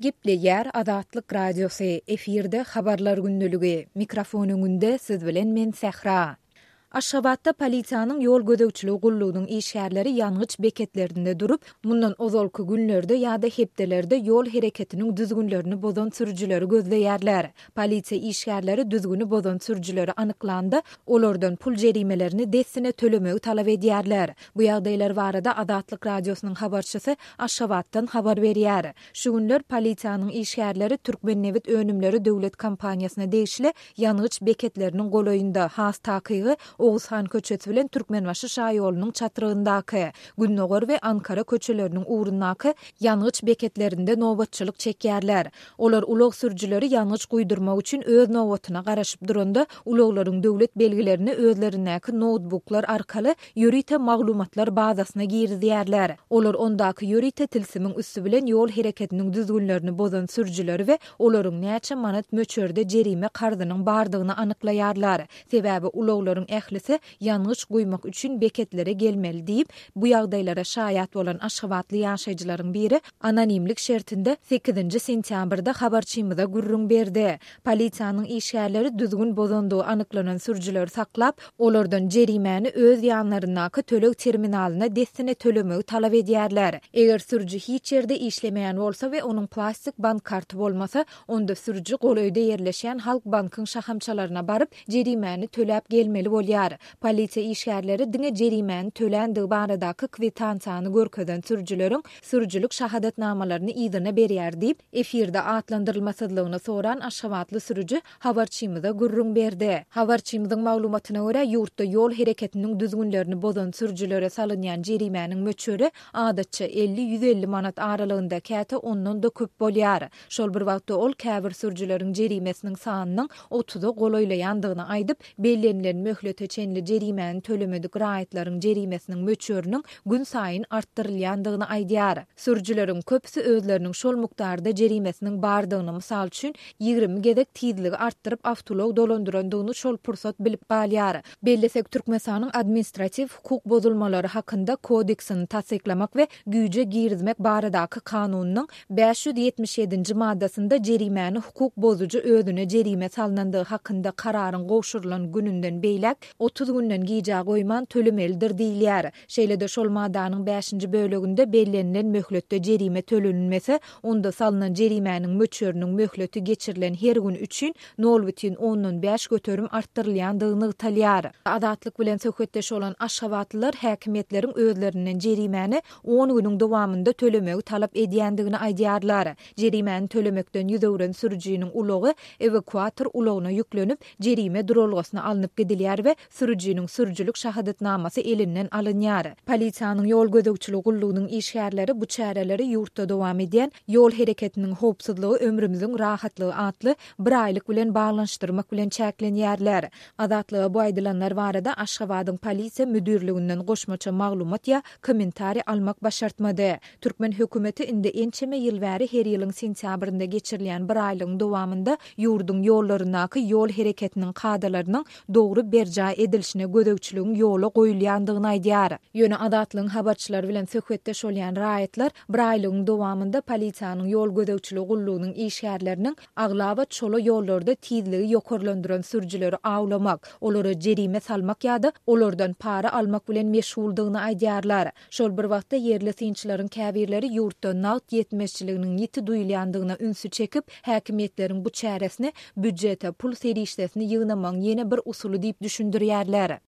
Gepleýär Azatlyk Radiosy, efirde Habarlar gündeligi, mikrofon öňünde siz bilen men Sähra. Aşgabatda polisiýanyň ýol gözegçiligi gullugynyň işgärleri ýangyç beketlerinde durup, mundan ozalky günlerde ýa-da hepdelerde ýol hereketiniň düzgünlerini bozan sürüjileri gözleýärler. Polisiýa işgärleri düzgüni bozan sürüjileri anyklanda, olardan pul jerimelerini dessine tölemegi talap edýärler. Bu ýagdaýlar barada Azatlyk Radiosynyň habarçysy Aşgabatdan habar berýär. Şu günler polisiýanyň işgärleri Türkmennebit önümleri döwlet kompaniýasyna degişli ýangyç beketleriniň golaýynda, has takygy, Oguzhan köçesi bilen Türkmenbaşy şaýolunyň çatrygyndaky, Gündogar we Ankara köçeleriniň ugrundaky ýangyç beketlerinde nobatçylyk çekýärler. Olar ulag sürüjileri ýangyç guýdurmak üçin öz nobatyna garaşyp duranda, ulaglaryň döwlet belgilerini özlerindäki noutbuklar arkaly ýörite maglumatlar bazasyna girizýärler. Olar ondaky ýörite tilsimiň üsti bilen ýol hereketiniň düzgünlerini bozan sürüjileri we olaryň näçe manat möçberde jerime karzynyň bardygyny anyklaýarlar. Sebäbi ulaglaryň ählisi ýangyç guýmak üçin beketlere gelmeli diýip, bu ýagdaýlara şaýat bolan aşgabatly ýaşaýjylaryň biri anonimlik şertinde sekizinji sentýabrda habarçymyza gürrüň berdi. Polisiýanyň işgärleri düzgün bozandygy anyklanan sürüjileri saklap, olardan jerimäni öz ýanlaryndaky töleg terminalyna dessine tölemegi talap edýärler. Eger sürüji hiç ýerde işlemeýän bolsa we onuň plastik bank karty bolmasa, onda sürüji golaýda ýerleşýän Halkbankyň şahamçalaryna baryp, jerimäni töläp gelmeli bolýar. Polisiýa işgärleri diňe jerimäni töländigi baradaky kwitansiýany görkezen sürüjileriň sürüjilik şahadatnamalaryny yzyna berýär diýip, efirde atlandyrylmasyzlygyny soran aşgabatly sürüji habarçymyza gürrüň berdi. Habarçymyzyň maglumatyna görä, ýurtda ýol hereketiniň düzgünlerini bozan sürüjilere salynýan jerimäniň möçberi adatça 50-150 manat aralygynda, käte ondan-da köp bolýar. Şol bir wagtda ol käbir sürüjileriň jerimesiniň sanynyň otuza golaýlaýandygyny aýdyp, bellenilen möhlete çenli jerimäni tölemedik raýatlaryň jerimesiniň möçberiniň günsaýyn artdyrylýandygyny aýdýar. Sürüjileriň köpüsi özleriniň şol mukdarda jerimesiniň bardygyny, mysal üçin, 20 gezek tizligi artdyryp awtoulag dolandyrandygyny şol pursat bilip galýar. Bellesek, Türkmenistanyň Administratiw hukuk bozulmalary hakynda kodeksini tassyklamak we güýje girizmek baradaky Kanunynyň 577-nji maddasynda jerimäni hukuk bozujy özüne jerime salnandygy hakynda kararyň gowşurylan gününden beýläk 30 günden gijä goýman tölemelidir diýilýär. Şeýle-de şol maddanyň bäşinji böleginde bellenilen möhletde jerime tölenilmese, onda salnan jerimäniň möçberiniň möhleti geçirilen her gün üçin nol bütin ondan 5% artdyrylýandygy nygtalýar. Azatlyk bilen söhbetdeş bolan aşgabatlylar häkimiýetleriň özlerinden jerimäni on günüň dowamynda tölemegi talap edýändigini aýdýarlar. Jerimäni tölemekden ýüz öwren sürüjiniň ulagy ewakuator ulagyna ýüklenip, jerime duralgasyna alnyp gidilýär we sürüjiniň sürüjilik şahadatnamasy elinden alynýar. Polisiýanyň ýol gözegçiligi gullugynyň işgärleri bu çäreleri ýurtda dowam edýän Ýol hereketiniň howpsuzlygy ömrümiziň rahatlygy atly bir aýlyk bilen baglanyşdyrmak bilen çäklenýärler. Azatlyga bu aýdylanlar barada Aşgabadyň Polisiýa müdirliginden goşmaça maglumat ýa kommentariý almak başartmady. Türkmen hökümeti indi ençeme ýyl bäri her ýylyň sentýabrynda geçirilýän bir aýlygyň dowamynda ýurduň ýollaryndaky ýol hereketiniň kadalarynyň dogry berjaý edilişine gözegçiligiň ýola goýulýandygyny aýdýar. Ýöne Azatlygyň habarçylary bilen söhbetdeş bolýan raýatlar bir aýlygyň dowamynda polisiýanyň ýol gözegçiligi gullugynyň işgärleriniň aglaba çola ýollarda tizligi ýokarlandyran sürüjileri awlamak, olara jerime salmak ýa-da olardan para almak bilen meşguldygyny aýdýarlar. Şol bir wagtda, ýerli synçylaryň käbirleri ýurtda nagt ýetmezçiliginiň ýiti duýulýandygyna ünsi çekip, häkimiýetleriň bu çäresini býujete pul serişdesini ýygnamagyň ýene bir usuly diýip düşündirýärler.